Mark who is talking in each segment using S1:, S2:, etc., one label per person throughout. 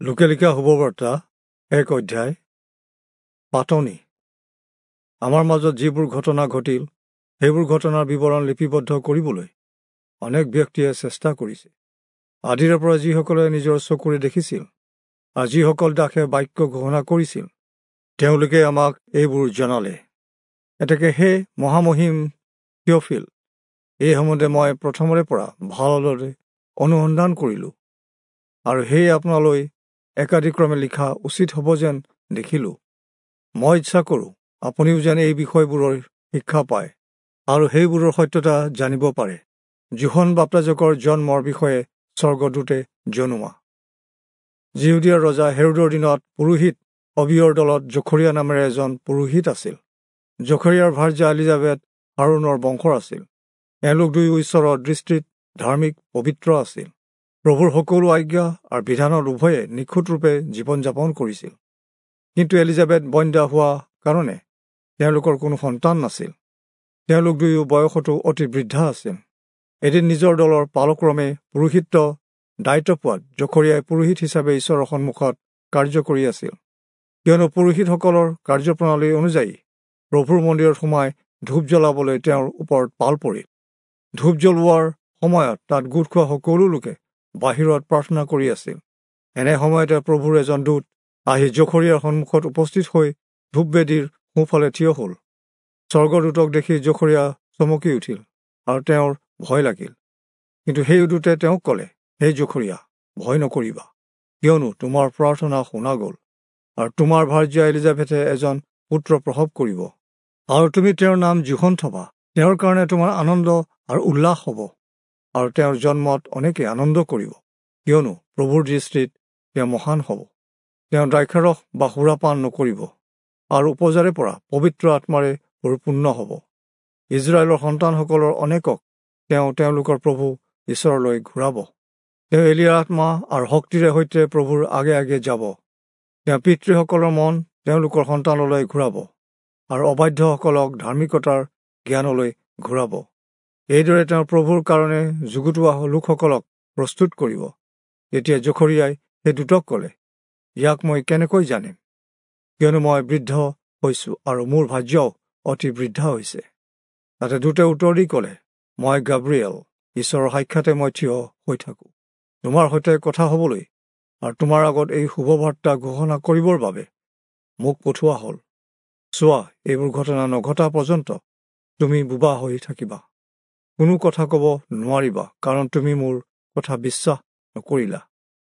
S1: লোকে লিখা শুভবাৰ্তা 1 অধ্যায়। পাতনি। আমাৰ মাজত যিবোৰ ঘটনা ঘটিল সেইবোৰ ঘটনাৰ বিৱৰণ লিপিবদ্ধ কৰিবলৈ অনেক ব্যক্তিয়ে চেষ্টা কৰিছে। আদিৰে পৰা যিসকলে নিজৰ চকুৰে দেখিছিল আৰু যিসকল দাসে বাক্য ঘোষণা কৰিছিল তেওঁলোকে আমাক এইবোৰ জনালে। এতেকে হে মহামহিম থিয়ফিল, এই সম্বন্ধে মই প্ৰথমৰে পৰা ভালদৰে অনুসন্ধান কৰিলোঁ আৰু সেয়ে আপোনালৈ একাদিক্ৰমে লিখা উচিত হ'ব যেন দেখিলোঁ। মই ইচ্ছা কৰোঁ আপুনিও যেন এই বিষয়বোৰৰ শিক্ষা পায় আৰু সেইবোৰৰ সত্যতা জানিব পাৰে। যোহন বাপ্তাজকৰ জন্মৰ বিষয়ে স্বৰ্গদূতে জনোৱা। যিহুদীয়াৰ ৰজা হেৰোদৰ দিনত পুৰোহিত অবিয়ৰ দলত জখৰীয়া নামেৰে এজন পুৰোহিত আছিল। জখৰীয়াৰ ভাৰ্যা এলিজাবেথ হাৰোণৰ বংশৰ আছিল। এওঁলোক দুয়ো ঈশ্বৰৰ দৃষ্টিত ধাৰ্মিক পবিত্ৰ আছিল। প্ৰভুৰ সকলো আজ্ঞা আৰু বিধানত উভয়ে নিখুঁতৰূপে জীৱন যাপন কৰিছিল। কিন্তু এলিজাবেথ বন্ধ্যা হোৱা কাৰণে তেওঁলোকৰ কোনো সন্তান নাছিল। তেওঁলোক দুয়ো বয়সতো অতি বৃদ্ধা আছিল। এদিন নিজৰ দলৰ পালক্ৰমে পুৰোহিত্ব দায়িত্ব পোৱাত জখৰীয়াই পুৰোহিত হিচাপে ঈশ্বৰৰ সন্মুখত কাৰ্য কৰি আছিল। কিয়নো পুৰোহিতসকলৰ কাৰ্যপ্ৰণালী অনুযায়ী প্ৰভুৰ মন্দিৰত সোমাই ধূপ জ্বলাবলৈ তেওঁৰ ওপৰত পাল পৰিল। ধূপ জ্বলোৱাৰ সময়ত তাত গোট খোৱা সকলো লোকে বাহিৰত প্ৰাৰ্থনা কৰি আছিল। এনে সময়তে প্ৰভুৰ এজন দূত আহি জখৰীয়াৰ সন্মুখত উপস্থিত হৈ ধূপবেদীৰ সোঁফালে থিয় হ'ল। স্বৰ্গদূতক দেখি জখৰীয়া চমকি উঠিল আৰু তেওঁৰ ভয় লাগিল। কিন্তু সেই দূতে তেওঁক ক'লে, হে জখৰীয়া, ভয় নকৰিবা, কিয়নো তোমাৰ প্ৰাৰ্থনা শুনা গ'ল আৰু তোমাৰ ভাৰ্যা এলিজাবেথে এজন পুত্ৰ প্ৰসৱ কৰিব আৰু তুমি তেওঁৰ নাম যোহন থবা। তেওঁৰ কাৰণে তোমাৰ আনন্দ আৰু উল্লাস হ'ব আৰু তেওঁৰ জন্মত অনেকে আনন্দ কৰিব, কিয়নো প্ৰভুৰ দৃষ্টিত তেওঁ মহান হ'ব। তেওঁ দ্ৰাক্ষাৰস বা সুৰাপান নকৰিব আৰু উপজাৰে পৰা পবিত্ৰ আত্মাৰে পৰিপূৰ্ণ হ'ব। ইজৰাইলৰ সন্তানসকলৰ অনেকক তেওঁ তেওঁলোকৰ প্ৰভু ঈশ্বৰলৈ ঘূৰাব। তেওঁ এলিয়াৰ আত্মা আৰু শক্তিৰে সৈতে প্ৰভুৰ আগে আগে যাব। তেওঁ পিতৃসকলৰ মন তেওঁলোকৰ সন্তানলৈ ঘূৰাব আৰু অবাধ্যসকলক ধাৰ্মিকতাৰ জ্ঞানলৈ ঘূৰাব। এইদৰে তেওঁ প্ৰভুৰ কাৰণে যুগুতোৱা লোকসকলক প্ৰস্তুত কৰিব। তেতিয়া জখৰীয়াই সেই দূতক ক'লে, ইয়াক মই কেনেকৈ জানিম? কিয়নো মই বৃদ্ধ হৈছোঁ আৰু মোৰ ভাৰ্যাও অতি বৃদ্ধা হৈছে। তাতে দূতে উত্তৰ দি ক'লে, মই গাব্ৰিয়েল, ঈশ্বৰৰ সাক্ষাতে মই থিয় হৈ থাকোঁ। তোমাৰ সৈতে কথা হ'বলৈ আৰু তোমাৰ আগত এই শুভবাৰ্তা ঘোষণা কৰিবৰ বাবে মোক পঠোৱা হ'ল। চোৱা, এইবোৰ ঘটনা নঘটা পৰ্যন্ত তুমি বোবা হৈ থাকিবা, কোনো কথা ক'ব নোৱাৰিবা, কাৰণ তুমি মোৰ কথা বিশ্বাস নকৰিলা।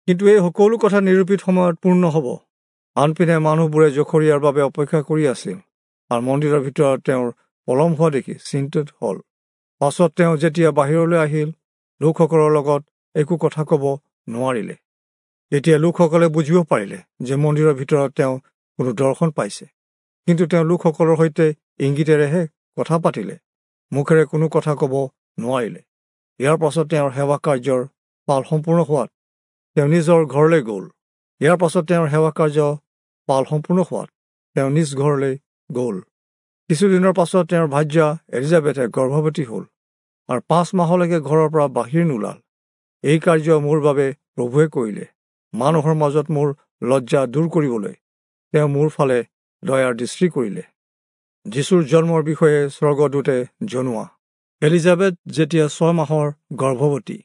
S1: কিন্তু এই সকলো কথা নিৰূপিত সময়ত পূৰ্ণ হ'ব। আনপিনে মানুহবোৰে জখৰীয়াৰ বাবে অপেক্ষা কৰি আছিল আৰু মন্দিৰৰ ভিতৰত তেওঁৰ পলম হোৱা দেখি চিন্তিত হ'ল। পাছত তেওঁ যেতিয়া বাহিৰলৈ আহিল, লোকসকলৰ লগত একো কথা ক'ব নোৱাৰিলে। তেতিয়া লোকসকলে বুজিব পাৰিলে যে মন্দিৰৰ ভিতৰত তেওঁ কোনো দৰ্শন পাইছে। কিন্তু তেওঁ লোকসকলৰ সৈতে ইংগিতেৰেহে কথা পাতিলে, মুখেৰে কোনো কথা ক'ব নোৱাৰিলে। ইয়াৰ পাছত তেওঁৰ সেৱা কাৰ্যৰ পাল সম্পূৰ্ণ হোৱাত তেওঁ নিজৰ ঘৰলৈ গ'ল। ইয়াৰ পাছত তেওঁৰ সেৱা কাৰ্য পাল সম্পূৰ্ণ হোৱাত তেওঁ নিজ ঘৰলৈ গ'ল। কিছুদিনৰ পাছত তেওঁৰ ভাৰ্যা এলিজাবেথে গৰ্ভৱতী হ'ল আৰু 5 মাহলৈকে ঘৰৰ পৰা বাহিৰ নোলাল। এই কাৰ্য মোৰ বাবে প্ৰভুৱে কৰিলে, মানুহৰ মাজত মোৰ লজ্জা দূৰ কৰিবলৈ তেওঁ মোৰ ফালে দয়াৰ দৃষ্টি কৰিলে। যীশুৰ জন্মৰ বিষয়ে স্বৰ্গদূতে জনোৱা। এলিজাবেথ যেতিয়া 6 মাহৰ গৰ্ভৱতী,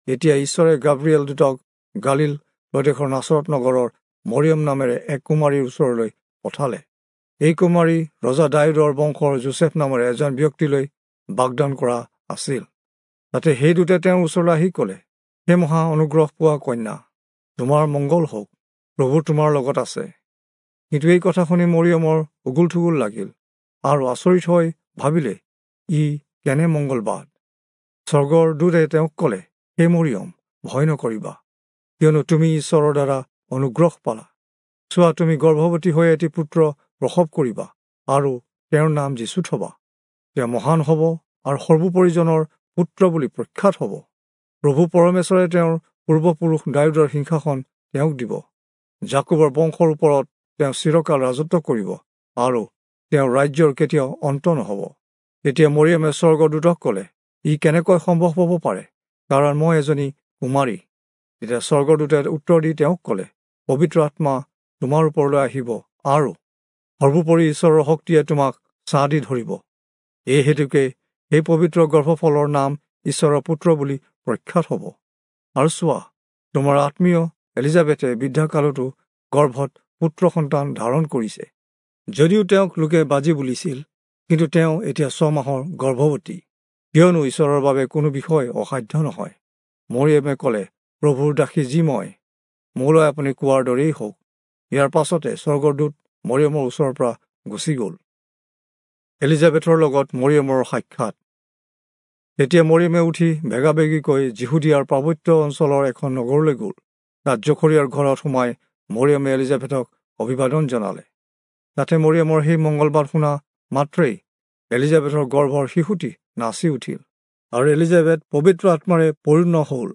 S1: তেতিয়া ঈশ্বৰে গাব্ৰিয়েল দূতক গালিল প্ৰদেশৰ নাচৰত নগৰৰ মৰিয়ম নামেৰে এক কুমাৰীৰ ওচৰলৈ পঠালে। এই কুমাৰী ৰজা দায়ূদৰ বংশৰ যোচেফ নামেৰে এজন ব্যক্তিলৈ বাগদান কৰা আছিল। তাতে সেই দূতে তেওঁৰ ওচৰলৈ আহি ক'লে, হে মহা অনুগ্ৰহ পোৱা কন্যা, তোমাৰ মংগল হওক, প্ৰভু তোমাৰ লগত আছে। কিন্তু এই কথা শুনি মৰিয়মৰ উগুল থুগুল লাগিল আৰু আচৰিত হৈ ভাবিলে, ই কেনে মংগলবাদ। স্বৰ্গৰ দূতে তেওঁক ক'লে, হে মৰিয়ম, ভয় নকৰিবা, কিয়নো তুমি ঈশ্বৰৰ দ্বাৰা অনুগ্ৰহ পালা। চোৱা, তুমি গৰ্ভৱতী হৈ এটি পুত্ৰ প্ৰসৱ কৰিবা আৰু তেওঁৰ নাম যীচু থবা। তেওঁ মহান হ'ব আৰু সৰ্বোপৰিজনৰ পুত্ৰ বুলি প্ৰখ্যাত হ'ব। প্ৰভু পৰমেশ্বৰে তেওঁৰ পূৰ্বপুৰুষ দায়ূদৰ সিংহাসন তেওঁক দিব। যাকোবৰ বংশৰ ওপৰত তেওঁ চিৰকাল ৰাজত্ব কৰিব আৰু তেওঁৰ ৰাজ্যৰ কেতিয়াও অন্ত নহ'ব। তেতিয়া মৰিয়মে স্বৰ্গদূতক ক'লে, ই কেনেকৈ সম্ভৱ হ'ব পাৰে? কাৰণ মই এজনী কুমাৰী। তেতিয়া স্বৰ্গদূতে উত্তৰ দি তেওঁক ক'লে, পবিত্ৰ আত্মা তোমাৰ ওপৰলৈ আহিব আৰু সৰ্বোপৰি ঈশ্বৰৰ শক্তিয়ে তোমাক ছাঁ দি ধৰিব। এই হেতুকে সেই পবিত্ৰ গৰ্ভফলৰ নাম ঈশ্বৰৰ পুত্ৰ বুলি প্ৰখ্যাত হ'ব। আৰু চোৱা, তোমাৰ আত্মীয় এলিজাবেথে বৃদ্ধাকালতো গৰ্ভত পুত্ৰ সন্তান ধাৰণ কৰিছে। যদিও তেওঁক লোকে বাজি বুলিছিল, কিন্তু তেওঁ এতিয়া 6 মাহৰ গৰ্ভৱতী, কিয়নো ঈশ্বৰৰ বাবে কোনো বিষয় অসাধ্য নহয়। মৰিয়মে ক'লে, প্ৰভুৰ দাসী যি মই, মোলৈ আপুনি কোৱাৰ দৰেই হওক। ইয়াৰ পাছতে স্বৰ্গদূত মৰিয়মৰ ওচৰৰ পৰা গুচি গ'ল। এলিজাবেথৰ লগত মৰিয়মৰ সাক্ষাৎ। তেতিয়া মৰিয়মে উঠি বেগাবেগিকৈ যিহুদীয়াৰ পাৰ্বত্য অঞ্চলৰ এখন নগৰলৈ গ'ল। তাত জখৰিয়াৰ ঘৰত সোমাই মৰিয়মে এলিজাবেথক অভিবাদন জনালে। তাতে মৰিয়মৰ সেই মংগলবাদ শুনা মাত্ৰেই এলিজাবেথৰ গৰ্ভৰ শিশুটি নাচি উঠিল আৰু এলিজাবেথ পবিত্ৰ আত্মাৰে পৰিপূৰ্ণ হ'ল।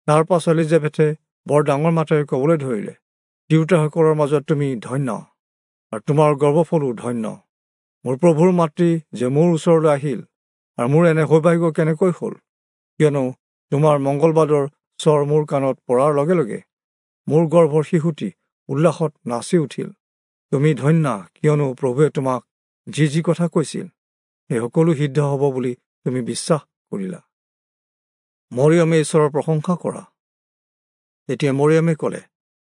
S1: তাৰ পাছত এলিজাবেথে বৰ ডাঙৰ মাতেৰে ক'বলৈ ধৰিলে, তিৰোতাসকলৰ মাজত তুমি ধন্য আৰু তোমাৰ গৰ্ভফলো ধন্য। মোৰ প্ৰভুৰ মাতৃ যে মোৰ ওচৰলৈ আহিল, আৰু মোৰ এনে সৌভাগ্য কেনেকৈ হ'ল? কিয়নো তোমাৰ মংগলবাদৰ স্বৰ মোৰ কাণত পৰাৰ লগে লগে মোৰ গৰ্ভৰ শিশুটি উল্লাসত নাচি উঠিল। তুমি ধন্যা, কিয়নো প্ৰভুৱে তোমাক যি যি কথা কৈছিল সেই সকলো সিদ্ধ হ'ব বুলি তুমি বিশ্বাস কৰিলা। মৰিয়মে ঈশ্বৰৰ প্ৰশংসা কৰা। তেতিয়া মৰিয়মে ক'লে,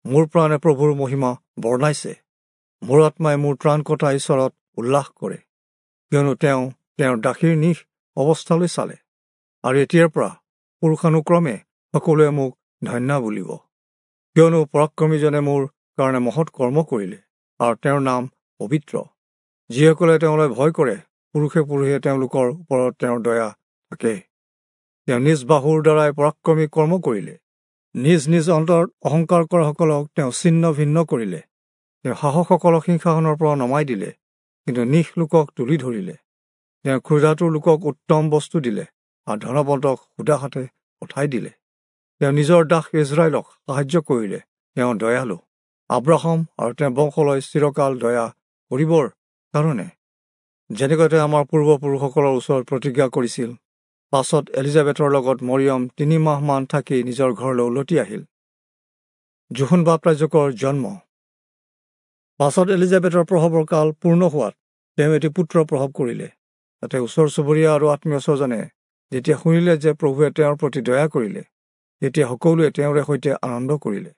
S1: মোৰ প্ৰাণে প্ৰভুৰ মহিমা বৰ্ণাইছে, মোৰ আত্মাই মোৰ ত্ৰাণকৰ্তা ঈশ্বৰত উল্লাস কৰে, কিয়নো তেওঁ তেওঁৰ দাসীৰ নিশ অৱস্থালৈ চালে, আৰু এতিয়াৰ পৰা পুৰুষানুক্ৰমে সকলোৱে মোক ধন্য বুলিব। কিয়নো পৰাক্ৰমীজনে মোৰ কাৰণে মহৎ কৰ্ম কৰিলে, আৰু তেওঁৰ নাম পবিত্ৰ। যিসকলে তেওঁলৈ ভয় কৰে, পুৰুষে পুৰুষে তেওঁলোকৰ ওপৰত তেওঁৰ দয়া থাকে। তেওঁ নিজ বাহুৰ দ্বাৰাই পৰাক্ৰমী কৰ্ম কৰিলে, নিজ নিজ অন্তৰত অহংকাৰ কৰাসকলক তেওঁ ছিন্ন ভিন্ন কৰিলে। তেওঁ সাহসসকলক সিংহাসনৰ পৰা নমাই দিলে, কিন্তু নিশ লোকক তুলি ধৰিলে। তেওঁ ক্ষুধাতুৰ লোকক উত্তম বস্তু দিলে আৰু ধনৱন্তক সুদা হাতে পঠাই দিলে। তেওঁ নিজৰ দাস ইজৰাইলক সাহায্য কৰিলে, তেওঁ দয়ালু, আব্ৰাহাম আৰু তেওঁৰ বংশলৈ চিৰকাল দয়া কৰিবৰ কাৰণে, যেনেকৈ তেওঁ আমাৰ পূৰ্বপুৰুষসকলৰ ওচৰত প্ৰতিজ্ঞা কৰিছিল। পাছত এলিজাবেথৰ লগত মৰিয়ম 3 মাহমান থাকি নিজৰ ঘৰলৈ উলটি আহিল। যোহন বাপ্তাইজকৰ জন্ম। পাছত এলিজাবেথৰ প্ৰসৱৰ কাল পূৰ্ণ হোৱাত তেওঁ এটি পুত্ৰ প্ৰসৱ কৰিলে। তাতে ওচৰ চুবুৰীয়া আৰু আত্মীয় স্বজনে যেতিয়া শুনিলে যে প্ৰভুৱে তেওঁৰ প্ৰতি দয়া কৰিলে, তেতিয়া সকলোৱে তেওঁৰে সৈতে আনন্দ কৰিলে।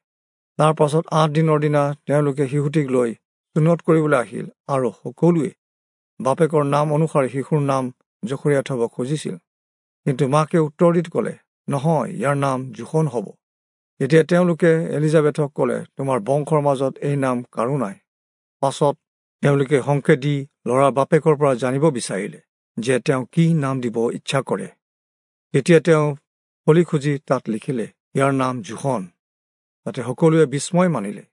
S1: তাৰ পাছত 8 দিনৰ দিনা তেওঁলোকে শিশুটিক লৈ চুন্নত কৰিবলৈ আহিল, আৰু সকলোৱে বাপেকৰ নাম অনুসাৰে শিশুৰ নাম জখৰিয়া থব খুজিছিল। কিন্তু মাকে উত্তৰ দি ক'লে, নহয়, ইয়াৰ নাম যোহন হ'ব। তেতিয়া তেওঁলোকে এলিজাবেথক ক'লে, তোমাৰ বংশৰ মাজত এই নাম কাৰো নাই। পাছত তেওঁলোকে সংকেত দি ল'ৰাৰ বাপেকৰ পৰা জানিব বিচাৰিলে যে তেওঁ কি নাম দিব ইচ্ছা কৰে। তেতিয়া তেওঁ ফলি খুজি তাত লিখিলে, ইয়াৰ নাম যোহন। তাতে সকলোৱে বিস্ময় মানিলে।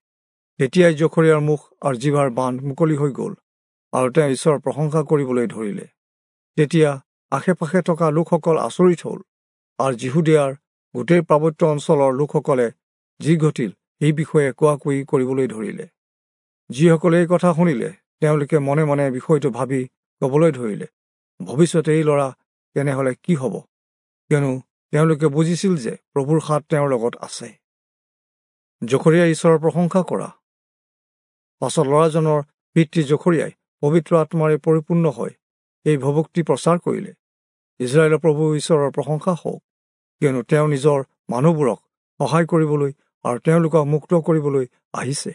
S1: তেতিয়াই জখৰিয়াৰ মুখ আৰু জিভাৰ বান্ধ মুকলি হৈ গ'ল, আৰু তেওঁ ঈশ্বৰৰ প্ৰশংসা কৰিবলৈ ধৰিলে। তেতিয়া আশে পাশে থকা লোকসকল আচৰিত হ'ল, আৰু যিহুদীয়াৰ গোটেই পাৰ্বত্য অঞ্চলৰ লোকসকলে যি ঘটিল সেই বিষয়ে কোৱা কুই কৰিবলৈ ধৰিলে। যিসকলে এই কথা শুনিলে তেওঁলোকে মনে মনে বিষয়টো ভাবি ক'বলৈ ধৰিলে, ভৱিষ্যতে এই ল'ৰা তেনেহ'লে কি হ'ব? কিয়নো তেওঁলোকে বুজিছিল যে প্ৰভুৰ হাত তেওঁৰ লগত আছে। জখৰিয়াই ঈশ্বৰৰ প্ৰশংসা কৰা। পাছত ল'ৰাজনৰ পিতৃ জখৰিয়াই পবিত্ৰ আত্মাৰে পৰিপূৰ্ণ হৈ এই ভৱক্তি প্ৰচাৰ কৰিলে, ইজৰাইলৰ প্ৰভু ঈশ্বৰৰ প্ৰশংসা হওক, কিয়নো তেওঁ নিজৰ মানুহবোৰক সহায় কৰিবলৈ আৰু তেওঁলোকক মুক্ত কৰিবলৈ আহিছে।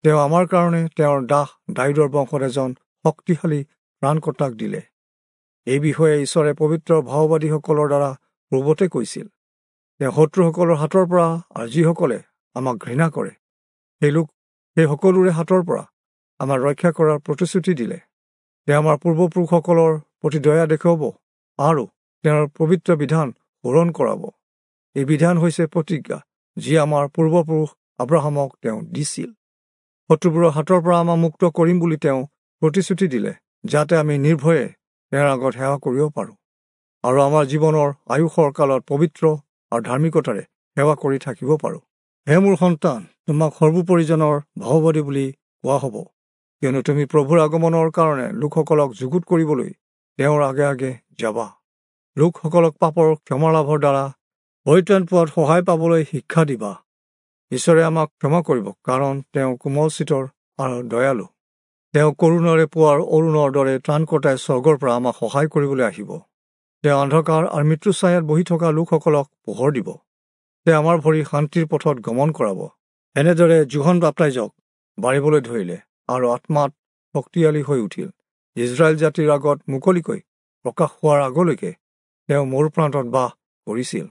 S1: তেওঁ আমাৰ কাৰণে তেওঁৰ দাস দায়ূদৰ বংশত এজন শক্তিশালী ত্ৰাণকৰ্তাক দিলে। এই বিষয়ে ঈশ্বৰে পবিত্ৰ ভাওবাদীসকলৰ দ্বাৰা পূৰ্বতে কৈছিল। তেওঁ শত্ৰুসকলৰ হাতৰ পৰা আৰু যিসকলে আমাক ঘৃণা কৰে সেই সকলোৰে হাতৰ পৰা আমাক ৰক্ষা কৰাৰ প্ৰতিশ্ৰুতি দিলে। তেওঁ আমাৰ পূৰ্বপুৰুষসকলৰ প্ৰতি দয়া দেখুৱাব আৰু তেওঁৰ পবিত্ৰ বিধান পূৰণ কৰাব। এই বিধান হৈছে প্ৰতিজ্ঞা, যি আমাৰ পূৰ্বপুৰুষ আব্ৰাহামক তেওঁ দিছিল। শত্ৰুবোৰৰ হাতৰ পৰা আমাক মুক্ত কৰিম বুলি তেওঁ প্ৰতিশ্ৰুতি দিলে, যাতে আমি নিৰ্ভয়ে তেওঁৰ আগত সেৱা কৰিব পাৰোঁ আৰু আমাৰ জীৱনৰ আয়ুসৰ কালত পবিত্ৰ আৰু ধাৰ্মিকতাৰে সেৱা কৰি থাকিব পাৰোঁ। হে মোৰ সন্তান, তোমাক সৰ্বোপৰিজনৰ ভাওবাদী বুলি কোৱা হ'ব, কিয়নো তুমি প্ৰভুৰ আগমনৰ কাৰণে লোকসকলক যুগুত কৰিবলৈ তেওঁৰ আগে আগে যাবা। লোকসকলক পাপৰ ক্ষমা লাভৰ দ্বাৰা পৰিত্ৰাণ পোৱাত সহায় পাবলৈ শিক্ষা দিবা। ঈশ্বৰে আমাক ক্ষমা কৰিব, কাৰণ তেওঁ কোমল চিতৰ আৰু দয়ালু। তেওঁ কৰুণাৰে পোৱাৰ অৰুণৰ দৰে ত্ৰাণকৰ্তাই স্বৰ্গৰ পৰা আমাক সহায় কৰিবলৈ আহিব। তেওঁ অন্ধকাৰ আৰু মৃত্যু ছায়াত বহি থকা লোকসকলক পোহৰ দিব। তেওঁ আমাৰ ভৰি শান্তিৰ পথত গমন কৰাব। এনেদৰে যোহন বাপ্তাইজক বাঢ়িবলৈ ধৰিলে আৰু আত্মাত শক্তিশালী হৈ উঠিল। ইজৰাইল জাতিৰ আগত মুকলিকৈ প্ৰকাশ হোৱাৰ আগলৈকে তেওঁ মৰুপ্ৰান্তত বাস কৰিছিল।